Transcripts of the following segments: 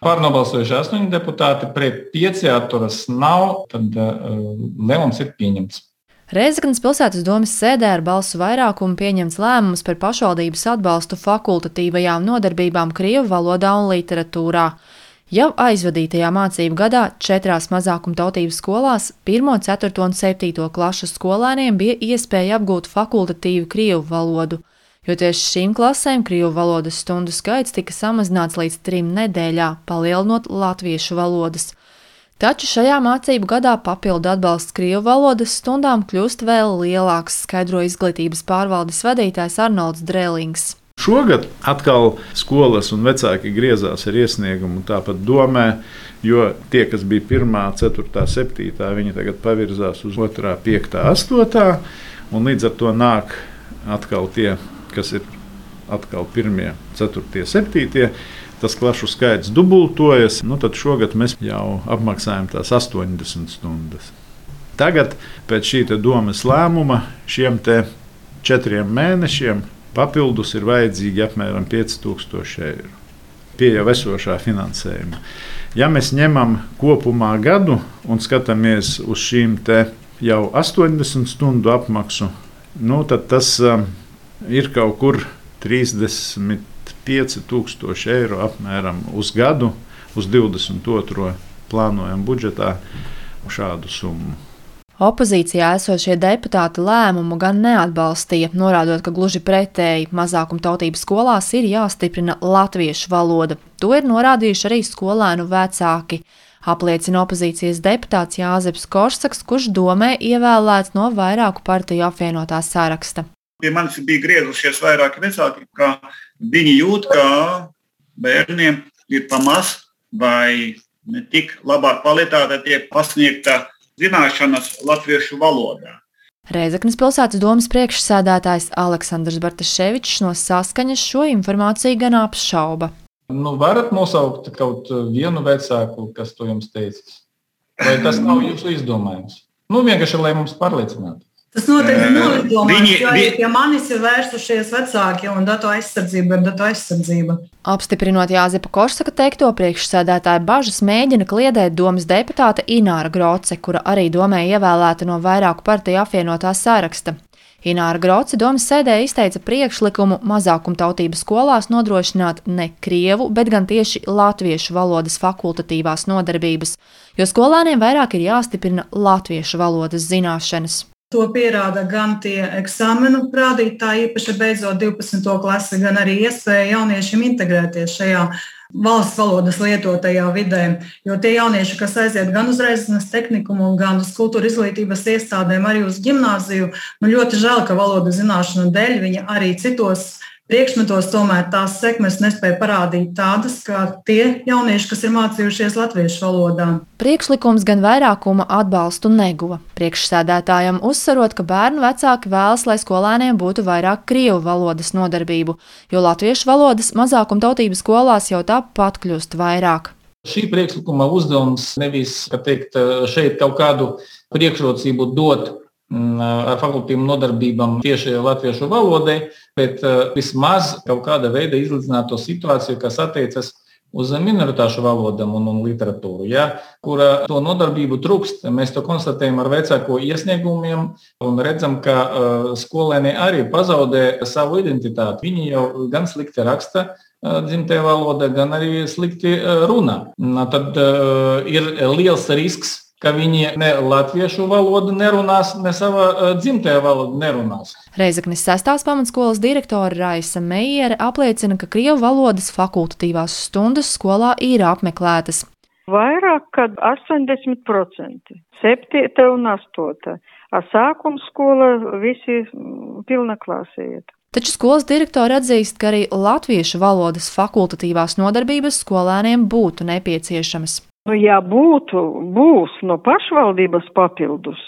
Pārnobalsojuši 8 deputāti, pret 5 atturas nav, tad lēmums ir pieņemts. Rēzeknes pilsētas domes sēdē ar balsu vairākumu pieņemts lēmums par pašvaldības atbalstu fakultatīvajām nodarbībām krievu valodā un literatūrā. Jau aizvadītajā mācību gadā 4 mazākumtautības skolās 1., 4. un 7. klašu skolēniem bija iespēja apgūt fakultatīvu krievu valodu, jo tieši šīm klasēm krievu valodas stundu skaits tika samazināts līdz 3 nedēļā, palielinot latviešu valodas. Taču šajā mācību gadā papildu atbalsts krievu valodas stundām kļūst vēl lielāks, skaidro izglītības pārvaldes vadītājs Arnolds Drēlings. Šogad atkal skolas un vecāki griezās ar iesniegumu tāpat domē, jo tie, kas bija 1., 4., 7., viņi tagad pavirzās uz 2., 5., 8. un līdz ar to nāk atkal tie, kas ir atkal 1., 4., 7. Tas klašu skaits dubultojas, tad šogad mēs jau apmaksājam tās 80 stundas. Tagad pēc šī domes lēmuma šiem 4 mēnešiem papildus ir vajadzīgi apmēram 5000 eiro pie jau esošā finansējuma. Ja mēs ņemam kopumā gadu un skatāmies uz šīm jau 80 stundu apmaksu, tad tas ir kaut kur 35,000 eiro apmēram uz gadu, uz 22. plānojam budžetā šādu summu. Opozīcijā esošie deputāti lēmumu gan neatbalstīja, norādot, ka gluži pretēji mazākumtautības skolās ir jāstiprina latviešu valoda. To ir norādījuši arī skolēnu vecāki, apliecina opozīcijas deputāts Jāzeps Korsaks, kurš domē ievēlēts no vairāku partiju apvienotā saraksta. Pie manis bija griezušies vairāki vecāki, ka viņi jūt, ka bērniem ir pamaz vai ne tik labā kvalitāte tiek pasniegta zināšanas latviešu valodā. Rēzeknes pilsētas domes priekšsēdētājs Aleksandrs Bartaševičs no Saskaņas šo informāciju gan apšauba. Varat nosaukt kaut vienu vecāku, kas to jums teicis? Vai tas nav jūsu izdomājums? Vienkārši, lai mums pārliecinātu. Tas noteikti nav izdomājums, jo arī pie manis ir vērsušies vecāki un datu aizsardzība ir datu aizsardzība. Apstiprinot Jāzepa Korsaka teikto, priekšsēdētāja bažas mēģina kliedēt domes deputāte Ināra Groce, kura arī domē ievēlēta no vairāku partiju apvienotā saraksta. Ināra Groce domes sēdē izteica priekšlikumu mazākumtautības skolās nodrošināt ne krievu, bet gan tieši latviešu valodas fakultatīvās nodarbības, jo skolēniem vairāk ir jāstiprina latviešu valodas zināšanas. To pierāda gan tie eksāmenu rādītāji, īpaši beidzot 12. klasi, gan arī iespēja jauniešiem integrēties šajā valsts valodas lietotajā vidē. Jo tie jaunieši, kas aiziet gan uz Rēzeknes tehnikumu, gan uz kultūra izglītības iestādēm, arī uz ģimnāziju, ļoti žēl, ka valodas zināšanu dēļ viņi arī citos priekšmetos tomēr tās sekmes nespēja parādīt tādas, kā tie jaunieši, kas ir mācījušies latviešu valodā. Priekšlikums gan vairākuma atbalstu neguva. Priekšsēdētājam uzsverot, ka bērnu vecāki vēlas, lai skolēniem būtu vairāk krievu valodas nodarbību, jo latviešu valodas mazākumtautības skolās jau tāpat kļūst vairāk. Šī priekšlikuma uzdevums nevis, šeit kaut kādu priekšrocību dot ar fakultīvām nodarbībām tieši latviešu valodai, bet vismaz kaut kāda veida izlīdzināt to situāciju, kas attiecas uz minoritāšu valodām un literatūru, kura to nodarbību trūkst. Mēs to konstatējam ar vecāko iesniegumiem un redzam, ka skolēni arī pazaudē savu identitāti. Viņi jau gan slikti raksta dzimtajā valodā, gan arī slikti runā. Tad ir liels risks, ka viņi ne latviešu valodu nerunās, ne savā dzimtajā valodu nerunās. Rēzeknes 6. pamatskolas direktore Raisa Meiere apliecina, ka krievu valodas fakultatīvās stundas skolā ir apmeklētas. Vairāk kā 80%, 7. un 8. Sākuma skola visi pilna klase iet. Taču skolas direktori atzīst, ka arī latviešu valodas fakultatīvās nodarbības skolēniem būtu nepieciešamas. Ja būs no pašvaldības papildus,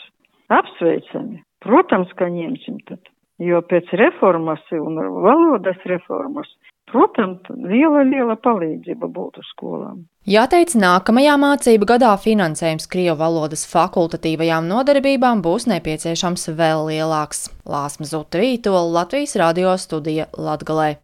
apsveicami. Protams, ka ņemsim tad, jo pēc reformas un valodas reformas, protams, liela palīdzība būtu skolām. Jāteic, nākamajā mācību gadā finansējums krievu valodas fakultatīvajām nodarbībām būs nepieciešams vēl lielāks. Lāsma Zuta Vītola, Latvijas radio studija Latgalē.